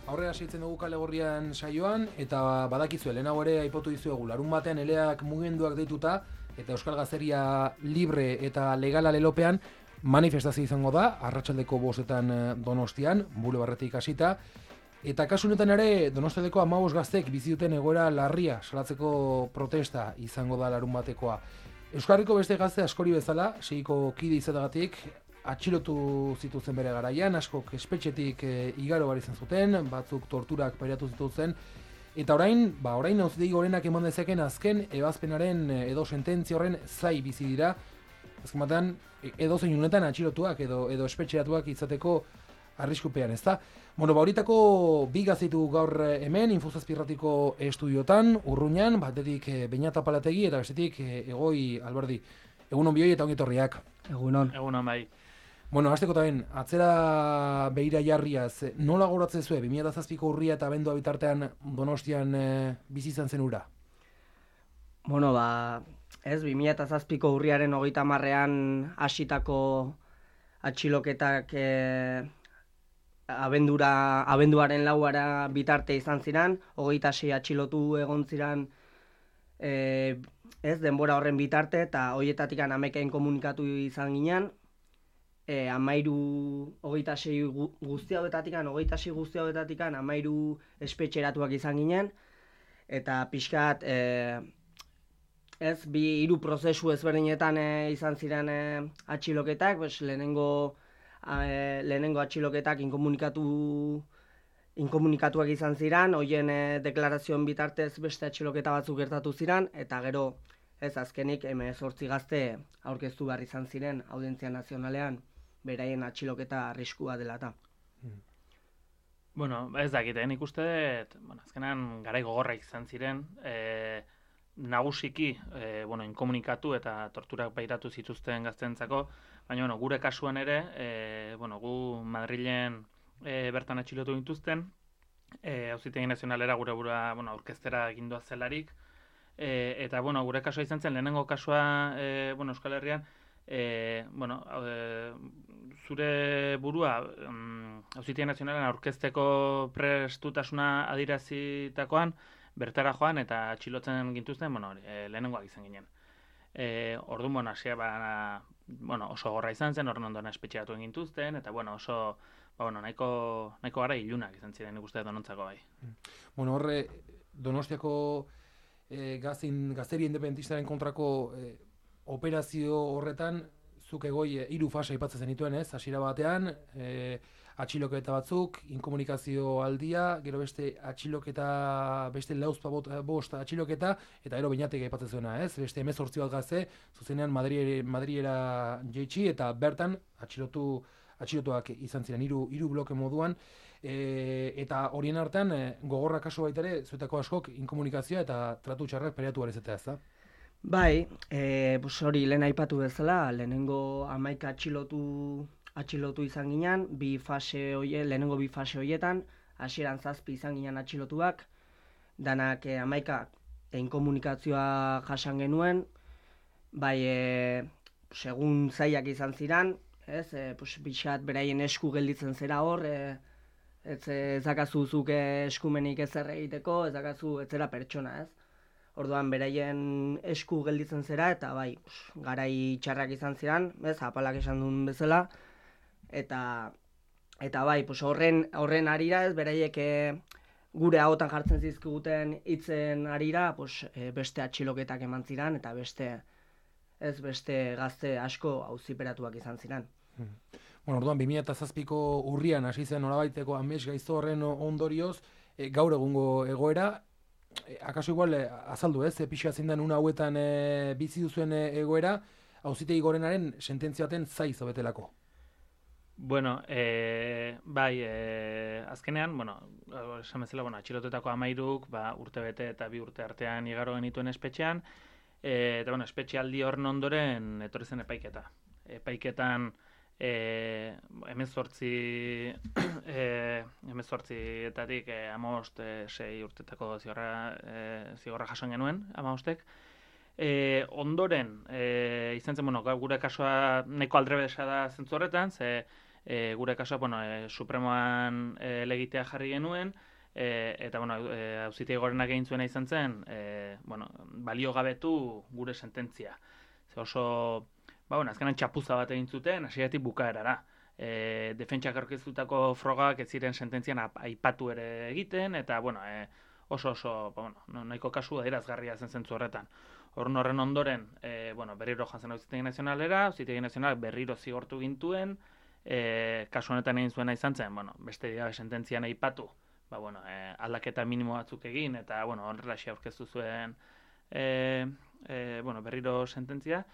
Aurrera segitzen dugu Kale Gorrian saioan, eta badakizue, lehenago ere aipatu dizuegu, larun batean eleak mugimenduak deituta, eta Euskal Gazteria libre eta legala lelopean manifestazio izango da, arratsaldeko 5etan Donostian, bulebarretik hasita, eta kasu honetan ere Donostialdeko 15 gaztek bizi duten egoera larria salatzeko protesta izango da larun batekoa. Euskal Herriko beste gazte askori bezala, segiko kide izateagatik, atxilotu zituzten bere garaian, askok espetxetik igaro bar izan zuten, batzuk torturak pairatu zituzten, eta orain auzitegi gorenak eman dezakeen azken ebazpenaren edo sententzia horren zai bizi dira, azken batean edozein unetan atxilotuak edo espetxeratuak izateko arriskupean, ezta? Bueno, horietako bi gazteitu gaur hemen, Infozazpirratiko estudiotan, Urruñan, batetik Beñat Apalategi eta bestetik Egoi Alberdi. Egunon bioi eta ongetorriak. Egunon. Egunon bai. Bueno, hasteko taben, atzera beira jarriaz, nola goratzen zuen, 2007ko urria eta abendua bitartean Donostian bizi izan zen ura? Bueno, 2007ko urriaren 30ean hasitako atxiloketak abenduaren 4 bitarte izan ziren, 26 atxilotu egon ziren denbora horren bitarte, eta horietatik 11 komunikatu izan ginen, 26 guzti hauetatik 13 espetxeratuak izan ginen, eta pixkat hiru prozesu ezberdinetan izan ziren atxiloketak, lehenengo atxiloketak inkomunikatuak izan ziren, horien deklarazioen bitartez beste atxiloketa batzuk gertatu ziren, eta gero azkenik 18 gazte aurkeztu behar izan ziren Audientzia Nazionalean, beraien atxiloketa arriskua dela eta. Bueno, ez dakit, nik uste dut, azkenan garai gogorra izan ziren, nagusiki, inkomunikatu eta torturak pairatu zituzten gaztentzako, baina gure kasuan ere, gu Madrilen bertan atxilotu gintuzten, Auzitegi Nazionalera gure burua aurkeztera egindoa zelarik, eta gure kasua izan zen, lehenengo kasua Euskal Herrian, zure burua Auzitegi Nazionalean aurkezteko prestutasuna adierazitakoan bertara joan eta atxilotzen gintuzten, lehenengoak izan ginen. Orduan, oso gorra izan zen, horren ondoan espetxeatu gintuzten, eta oso nahiko gara ilunak izan ziren ikuste Donontzako bai. Horre, Donostiako gazteri independentistaren kontrako operazio horretan, zuk Egoi 3 fase aipatzen zenituen, ez? Hasiera batean, atxiloketa batzuk, inkomunikazio aldia, gero beste atxiloketa, beste 5 atxiloketa, eta gero Beñatek aipatzen zuena, ez? Beste 18 bat gazte, zuzenean Madriera jeitsi, eta bertan atxilotuak izan ziren, 3 bloke moduan, eta horien artean, gogorra kasu baita ere, zuetako askok, inkomunikazioa eta tratu txarrak pairatu barezetea, ez da? Bai, hori lehen aipatu bezala, lehenengo 11 atxilotu izan ginen, lehenengo 2 fase horietan, hasieran 7 izan ginen atxilotuak, danak 11 inkomunikazioa jasan genuen, bai, segun zaiak izan ziren, pixat beraien esku gelditzen zera hor, ez dakazu zuk eskumenik ezer egiteko, ez dakazu ez zera pertsona, ez? Orduan beraien esku gelditzen zera, eta bai, garai txarrak izan ziren, apalak esan duen bezala, eta bai, horren arira, beraiek gure ahotan jartzen zizkiguten hitzen arira, beste atxiloketak eman ziren, eta beste gazte asko auziperatuak izan ziren. Orduan, 2007ko urrian hasi zen norabaiteko amets gaizto horren ondorioz, gaur egungo egoera, akaso igual azaldu, pixka zein den una hauetan bizi duzuen egoera, Auzitegi Gorenaren sententzia baten zai zobetelako. Bueno, bai, azkenean, esan bezala, atxilotetako 13 urte bete eta 2 urte artean igaro genituen espetxean, eta espetxealdi horren ondoren etorri zen epaiketa. Epaiketan 18etatik 6 urtetako zigorra jasan genuen, 15ek. Ondoren, izan zen, gure kasua neko aldrebesa da zentzu horretan, ze gure kasua, bueno, Supremoan legitea jarri genuen, eta, bueno, auzitegi gorenak egin zuena izan zen, bueno, baliogabetu gure sententzia. Ze oso, bueno, azkenan txapuza bat egin zuten, hasieratik bukaerara. Defentsak aurkeztutako frogak ez ziren sententzian aipatu ere egiten, eta, bueno, oso, bueno, nahiko kasu adierazgarria zen zentzu horretan. Horren ondoren, bueno, berriro jantzen Auzitegi Nazionalera, Auzitegi Nazionalak berriro zigortu gintuen, kasu honetan egin zuena izan zen, bueno, beste gabe sententzian aipatu, bueno, aldaketa minimo batzuk egin, eta, bueno, horrelaxe aurkeztu zuen, bueno, berriro sententzia,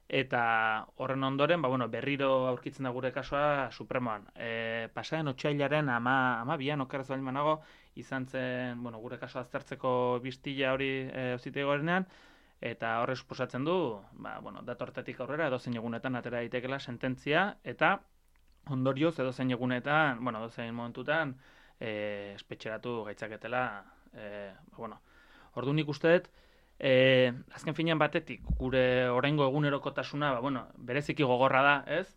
eta horren ondoren, bueno, berriro aurkitzen da gure kasua Supremoan. Pasaren otsailaren 12an okerrez baldin banago, izan zen, bueno, gure kasua aztertzeko biztila hori Auzitegi Gorenean, eta horre suposatzen du, bueno, datortetik aurrera edozein egunetan atera daitekeela sententzia, eta ondorioz edozein egunetan, bueno, edozein momentutan espetxeratu gaitzaketela, bueno, ordu nik uste dut, azken finean batetik, gure oraingo egunerokotasuna, bueno, bereziki gogorra da, ez?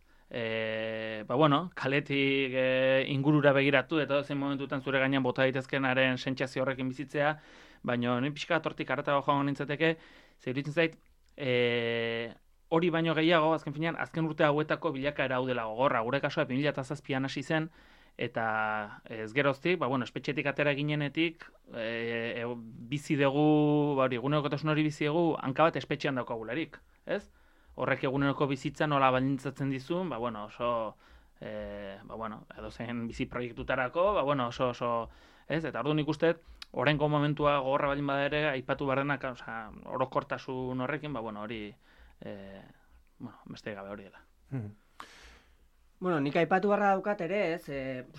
Bueno, kaletik ingurura begiratu, eta edozein momentutan zure gainean bota daitezkenaren sentsazio horrekin bizitzea, baina ni pixka tortik arretago joango nintzateke, zeuritzen zait, hori baino gehiago, azken finean, azken urte hauetako bilakaera hau dela gogorra. Gure kasua 2007an hasi zen, eta ez geroztik, bueno, espetxetik atera ginenetik, bizi dugu, egunerokotasun hori bizi dugu, hanka bat espetxean daukagularik, ez? Horrek eguneroko bizitza nola baldintzatzen dizun, bueno, oso, bueno, edozein bizi proiektutarako, bueno, oso, ez? Eta orduan ikusten, oraingo momentua gogorra baldin bada ere, aipatu barrenak, orokortasun horrekin, bueno, hori, bueno, beste gabe hori dela. Bueno, nik aipatu barra daukat ere, ez,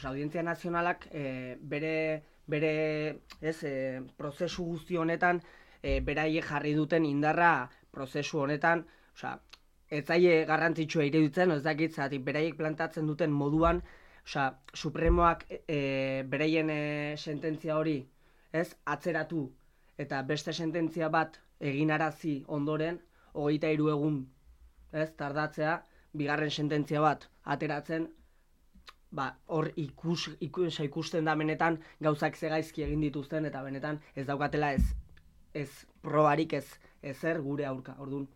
Audientzia Nazionalak bere prozesu guzti honetan, beraiek jarri duten indarra prozesu honetan, ez zaie garrantzitsua iruditzen, ez dakit, zatik beraiek plantatzen duten moduan, Supremoak beraien sententzia hori, ez, atzeratu, eta beste sententzia bat eginarazi ondoren, 23 egun, ez, tardatzea, bigarren sententzia bat ateratzen, hor ikusten da benetan gauzak zegaizki egin dituzten, eta benetan ez daukatela ez probarik ezer gure aurka. Orduan,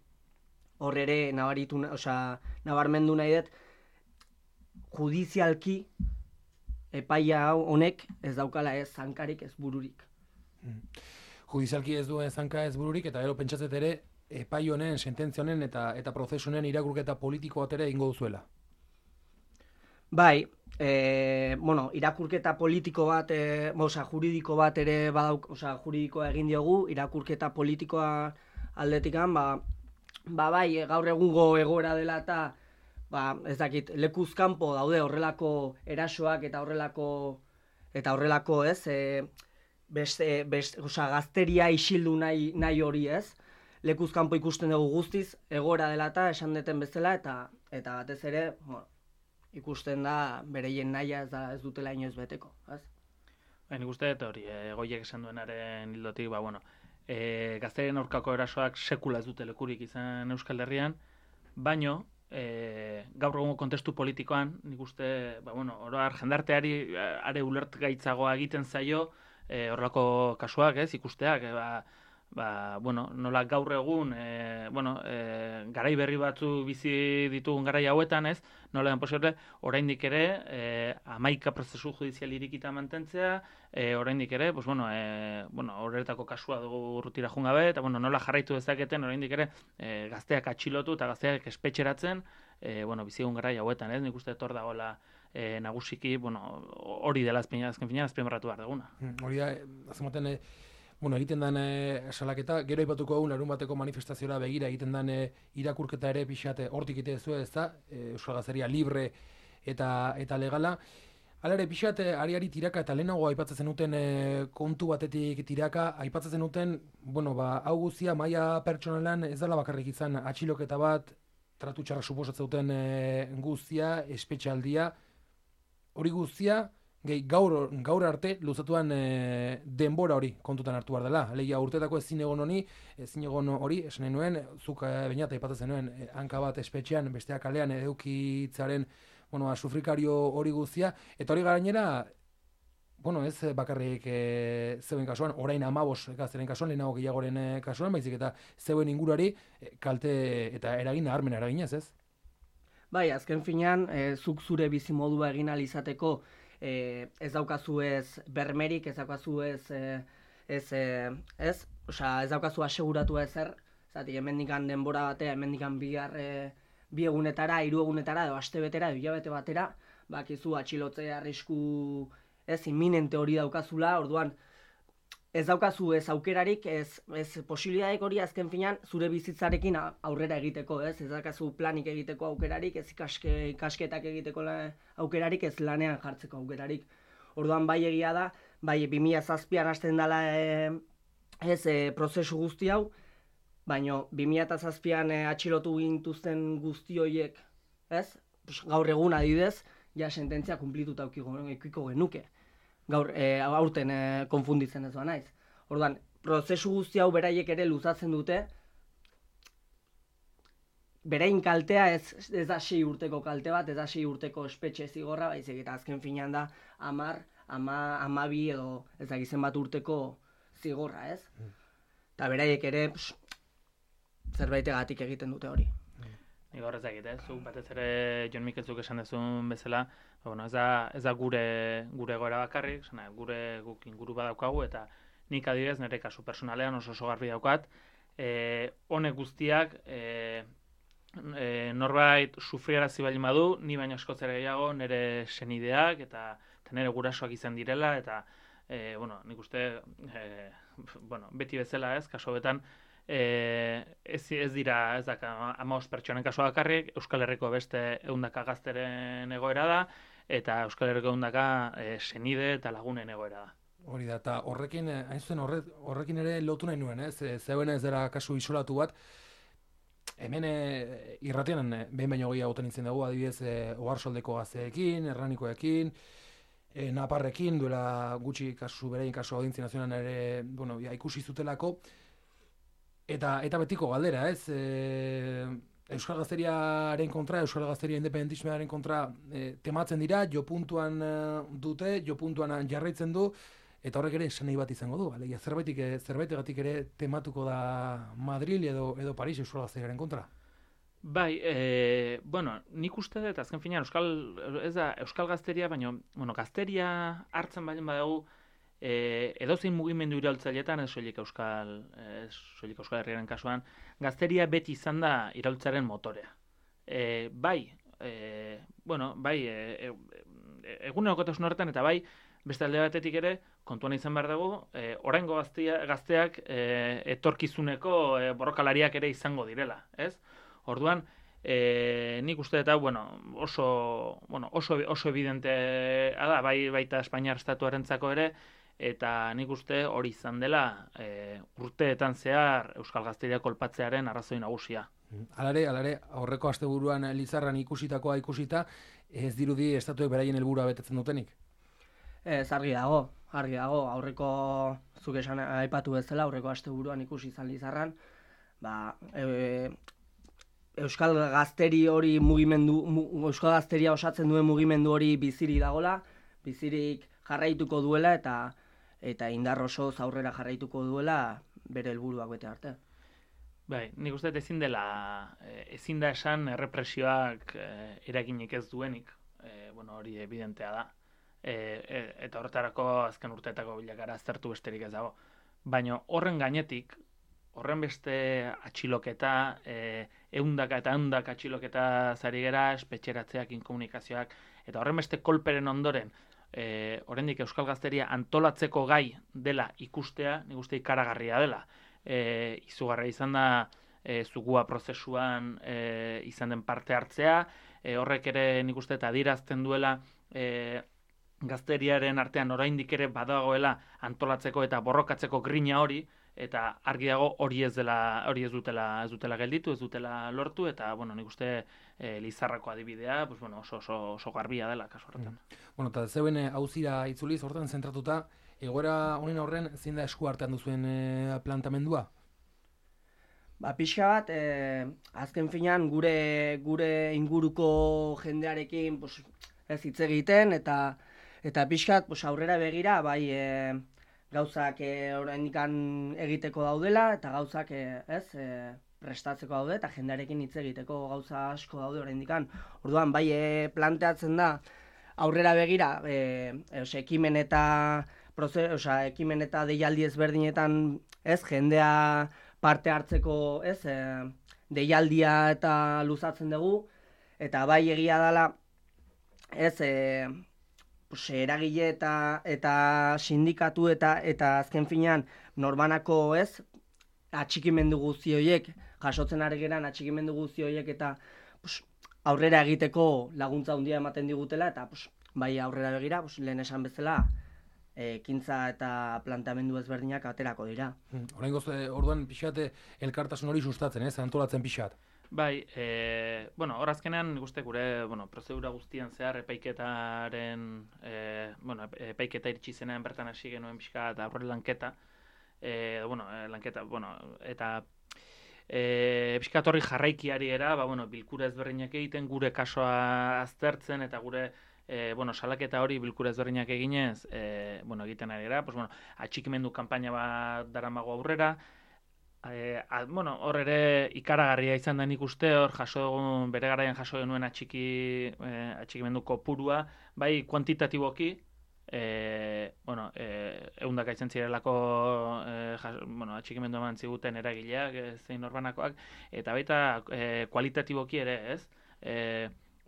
hor ere nabarmendu nahi dut, judizialki epaia honek ez daukala ez zankarik, ez bururik. Judizialki ez duen zanka ez bururik, eta gero pentsatzet ere, epai honen, sententzia honen eta prozesunen irakurketa politiko bat ere ingo duzuela. Bai, bueno, irakurketa politiko bat, juridiko bat ere juridikoa egin diogu, irakurketa politikoa aldetikan, bai, gaur egungo egoera dela eta, ez dakit, lekuz kanpo daude horrelako erasoak eta horrelako, ez, gazteria isildu nahi hori, ez, lekuz kanpo ikusten dugu guztiz, egoera dela eta esan deten bezala, eta batez ere, ikusten da bereien nahia ez dutela inoiz beteko, ez? Nik uste dut hori, Goiek esan duenaren hildotik, bueno, gazterien aurkako erasoak sekula ez dute lekurik izan Euskal Herrian, baino, gaur egungo kontestu politikoan, nik uste, bueno, oroar jendarteari are ulertgaitzagoa egiten zaio, horrelako kasuak, ez, ikusteak, bueno, nola gaur egun, garai berri batzu bizi ditugun garai hauetan, ez, nola den posible, oraindik ere, 11 prozesu judizial irikita mantentzea, oraindik ere, horretako kasua dugu urrutira joan gabe, eta nola jarraitu dezaketen, oraindik ere, gazteak atxilotu eta gazteak espetxeratzen, bizigun garai hauetan, ez, nik uste etor dagoela nagusiki, hori dela azken finean azpimarratu behar duguna. Hori da, azematen, egiten den salaketa, gero aipatuko egun larun bateko manifestaziora begira egiten den irakurketa ere pixate hortik ite zuen, ez da, Euskal Gazteria libre eta legala. Hala ere, pixate ari tiraka eta lehenago aipatzen duten kontu batetik tiraka, aipatzen duten, hau guztia maila pertsonalan ez dela bakarrik izan atxiloketa bat, tratu txarra suposatzen duten guztia, espetxaldia, hori guztia, gaur arte luzatuan denbora hori kontutan hartu behar dela. Alegia urtetako ezin egon hori, esan nahi nuen, zuk bainat aipatzen nuen, hanka bat espetxean, besteak kalean edukitzaren bueno, sufrikario hori guztia, eta hori gainera, bueno, ez bakarrik zeuen kasuan, orain 15 gazteren kasuan, lehenago gehiagoren kasuan, baizik eta zeuen inguruari kalte eta eragin nabarmena eraginez, ez? Bai, azken finean, zuk zure bizimodua egin ahal izateko ez daukazu ez bermerik, ez daukazu ez daukazu aseguratu ezer, zati hemendikan denbora batea, hemendikan bi egunetara, 3 egunetara, edo astebetera, edo hilabete batera, bakizu atxilotze arrisku ez inminente hori daukazula, orduan ez daukazu ez aukerarik, ez posibilitateek hori azken finean zure bizitzarekin aurrera egiteko, ez daukazu planik egiteko aukerarik, ez ikasketak egiteko aukerarik, ez lanean jartzeko aukerarik. Orduan bai egia da, bai 2007an hasten dela prozesu guzti hau, baina 2007an atxilotu gintuzten guzti horiek, ez? Gaur egun adibidez, ja sententzia kunplituta edukiko genuke. Gaur aurten konfunditzen ez naiz. Orduan, prozesu guzti hau beraiek ere luzatzen dute, berain kaltea ez da 6 urteko kalte bat, ez da 6 urteko espetxe zigorra, baizik eta azken finean da 10, 12 edo ez da gizen bat urteko zigorra, ez? Eta beraiek ere zerbaitegatik egiten dute hori. Nik horrez egite, zuk batez ere Jon Mikelzuk esan dezun bezala, bueno, ez da gure egoera bakarrik, guk inguru badaukagu, eta nik adibidez nire kasu personalean oso garbi daukat, honek guztiak norbait sufriarazi baldin badu, ni baino askoz ere gehiago nire senideak eta nire gurasoak izan direla, eta nik uste beti bezala ez, kasu betan, ez dira, ez daka 15 pertsonen kasua bakarrik, Euskal Herriko beste 100 gazteren egoera da, eta Euskal Herriko 100 senide eta lagunen egoera da. Hori da, eta horrekin, hain zuen horrekin ere lotu nahi nuen, ez? Zeuen ez dela kasu isolatu bat, hemen irratian behin baino gehiagotan nintzen dugu, adibidez, Oarsoldeko gazteekin, Erranikoekin, Naparrekin, duela gutxi beraien kasu Audientzia Nazionalean ere, bueno, ikusi zutelako, eta betiko galdera, ez? Euskal Gazteriaren kontra, Euskal Gazteria independentismoaren kontra tematzen dira, jo puntuan dute, jo puntuan jarraitzen du, eta horrek ere esan nahi bat izango du. Alegia, zerbaitegatik ere tematuko da Madril edo Paris Euskal Gazteriaren kontra. Bai, nik uste dut, azken finean, ez da Euskal Gazteria, baina, Gazteria hartzen baldin badago, edozein mugimendu iraultzailetan, ez soilik Euskal Herriaren kasuan, Gazteria beti izan da iraultzaren motorea. Egunerokotasun horretan, eta bai, beste alde batetik ere, kontuan izan behar dugu, oraingo gazteak etorkizuneko borrokalariak ere izango direla, ez? Orduan, nik uste eta oso evidentea da, baita Espainiar estatuarentzako ere, eta nik uste hori izan dela urteetan zehar Euskal Gazteria kolpatzearen arrazoi nagusia. Alare, aurreko asteburuan Lizarran ikusita, ez dirudi estatuek beraien helburua betetzen dutenik? Ez, argi dago, aurreko zuk esan aipatu bezala, aurreko asteburuan ikusi izan Lizarran, Euskal Gazteri hori Euskal Gazteria osatzen duen mugimendu hori bizirik dagola, bizirik jarraituko duela eta indar osoz aurrera jarraituko duela bere helburuak bete arte. Bai, nik uste ezin da esan errepresioak eraginik ez duenik, hori evidentea da. Eta horretarako azken urteetako bilakara aztertu besterik ez dago. Baina horren gainetik, horren beste atxiloketa, ehundaka atxiloketa zari gera, espetxeratzeak, inkomunikazioak, eta horren beste kolperen ondoren, oraindik Euskal Gazteria antolatzeko gai dela ikustea, nik uste ikaragarria dela. Izugarria izan da zugua prozesuan izan den parte hartzea, horrek ere nik uste eta adierazten duela Gazteriaren artean oraindik ere badagoela antolatzeko eta borrokatzeko grina hori, eta argi dago hori ez dutela gelditu, ez dutela lortu, eta nik uste Lizarrako adibidea oso garbia dela kasu horretan. Eta zeuen auzira itzuliz horretan zentratuta, egoera honen horren zein da esku artean duzuen plantamendua? Ba, pixka bat, azken finean gure inguruko jendearekin pues, ez hitz egiten eta pixka bat pues, aurrera begira bai gauzak oraindikan egiteko daudela eta gauzak prestatzeko daude eta jendearekin hitz egiteko gauza asko daude oraindikan. Orduan bai planteatzen da aurrera begira ekimen eta deialdi ezberdinetan jendea parte hartzeko, deialdia eta luzatzen dugu, eta bai egia dela, eragile eta sindikatu eta azken finean norbanako, atxikimendu guzti horiek, jasotzen ari geran atxikimendu guzti horiek eta aurrera egiteko laguntza handia ematen digutela, eta bai aurrera begira, lehen esan bezala, ekintza eta planteamendu ezberdinak aterako dira. Oraingoz, orduan pixate elkartasun hori sustatzen, antolatzen pixat. Bai, hor azkenean uste gure, prozedura guztian zehar epaiketaren, epaiketa iritsi zenean bertan hasi genuen pixka eta aurre lanketa, eta pixkat horri jarraikiari era, bilkura ezberdinak egiten, gure kasoa aztertzen eta gure salaketa hori bilkura ezberdinak eginez, egiten ari gara, atxikimendu kanpaina bat daramago aurrera, hor ere ikaragarria izan da nik uste, hor bere garaian jaso genuen atxikimendu kopurua, bai kuantitatiboki, eundaka izan zirelako atxikimendu eman ziguten eragileak, zein norbanakoak, eta baita kualitatiboki ere, ez?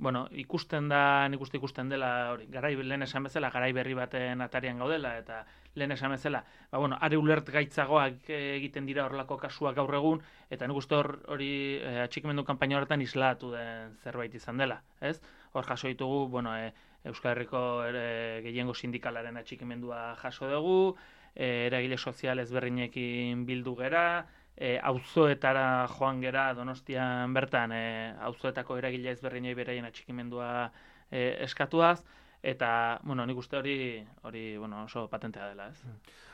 Ikusten da, nik uste ikusten dela, lehen esan bezala, garai berri baten atarian gaudela, eta lehen esan bezala, are ulert gaitzagoak egiten dira horrelako kasuak gaur egun, eta nik uste hori atxikimendu kanpaina horretan islatu den zerbait izan dela, ez? Hor jaso ditugu, Euskal Herriko gehiengo sindikalaren atxikimendua jaso dugu, eragile sozial ezberdinekin bildu gera, auzoetara joan gera Donostian bertan, auzoetako eragile ezberdinei beraien atxikimendua eskatuaz, eta, nik uste hori oso patentea dela, ez?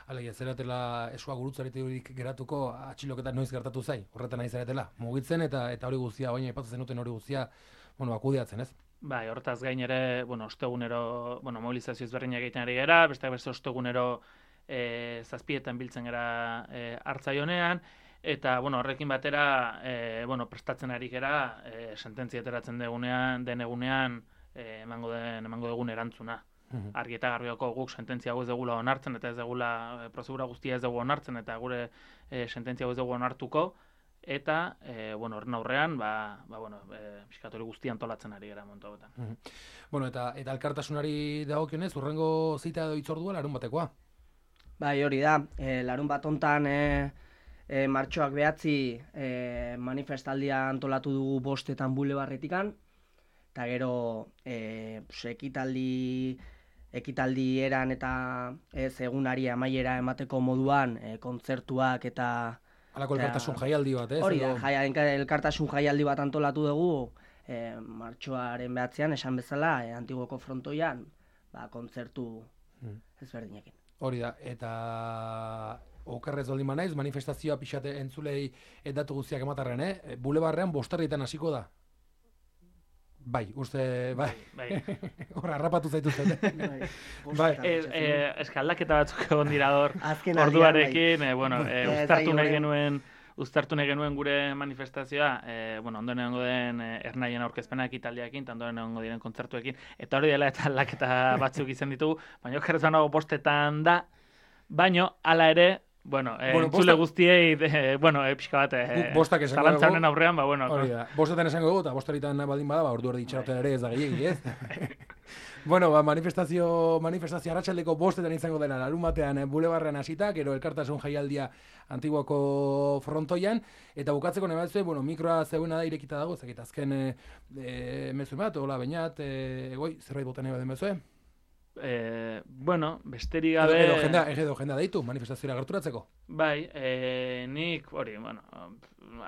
Alegia, zeratela esua gurutzaretik geratuko atxiloketa noiz gertatu zai, horretan nahi zaretela, mugitzen eta hori guztia, baina aipatzen zenuten hori guztia, akudiatzen, ez? Bai, hortaz gain ere, ostegunero, mobilizazio ezberdinak egiten ari gara, beste ostegunero zazpietan biltzen gara Hartzaionean, eta, horrekin batera, prestatzen ari gara, sententzia ateratzen den egunean, emango dugun erantzuna. Argi eta garbioko guk sententzia hau ez dugula onartzen, eta ez dugula prozedura guztia ez dugu onartzen, eta gure sententzia hau ez dugu onartuko, eta, horren aurrean, pixkat hori guztia antolatzen ari gara momentu hauetan. Eta elkartasunari dagokionez, hurrengo zita edo hitzordua larun batekoa? Bai, hori da, larun bat hontan martxoak 9 manifestaldia antolatu dugu 5 bulebarretikan, eta gero ekitaldi eran eta egunari amaiera emateko moduan kontzertuak eta halako elkartasun jaialdi bat, ez? Hori da, elkartasun jaialdi bat antolatu dugu martxoaren 9 esan bezala, Antiguoko frontoian, kontzertu ezberdinekin. Hori da, eta okerrez baldin manaiz, manifestazioa pixate entzulei datu guztiak ematarren, bulebarrean 5 hasiko da. Bai, uste, bai. Horra, harrapatu zaituzten. Eskaldaketa batzuk egon dira orduarekin, uztartu nahi genuen gure manifestazioa, ondoren egongo den ernaien aurkezpena ekitaldiakin, eta ondoren egongo diren kontzertuekin, eta hori dela eta aldaketa batzuk izan ditugu, baina okerrez banago 5 da, baina hala ere, entzule guztiei, pixka bat, zalantzaren aurrean, hori da, 5 esango dugu, eta 5 baldin bada, ordu erdi itxaroten ere ez da gehiagi, ez? Manifestazio arratsaldeko 5 izango dela larun batean bulebarrean hasita, gero elkartasun jaialdia Antiguoko frontoian, eta bukatzeko nahi batzue, mikroa zegoena da irekita dago, ezakit azken mezu bat, hola bainat, zerbait botan nahi baden bezue? Besterik gabe... Edo jendea deitu, manifestazioa gerturatzeko? Nik,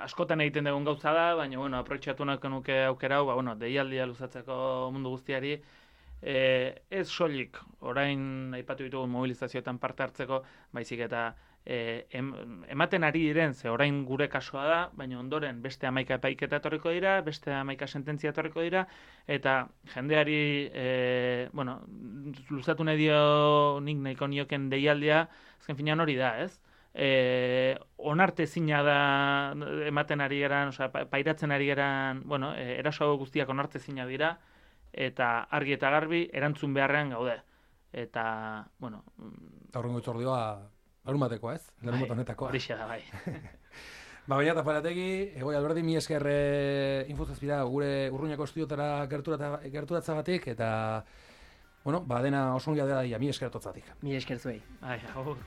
askotan egiten dugun gauza da, baina, aproitxatu nahiko nuke aukera hau, deialdia luzatzeko mundu guztiari, ez soilik, orain aipatu ditugun mobilizazioetan parte hartzeko, baizik eta ematen ari diren, ze orain gure kasua da, baina ondoren beste 11 epaiketa etorriko dira, beste 11 sententzia etorriko dira, eta jendeari, luzatu nahi dio nik nahiko nioken deialdia, azken finean hori da, ez? Onartezina da ematen ari geran, pairatzen ari geran, eraso guztiak onartezina dira, eta argi eta garbi erantzun beharrean gaude. Eta, Aurrengo itzordioa larumatekoa, ez? Larumate honetakoa. Horixe da, bai. Baina eta Palategi, Egoi Alberdi, mi esker Infozazpira gure Urruñako estudiotara gerturatzagatik, eta, dena oso ongia dela, mi esker totzatik. Mi esker zuei. Agur.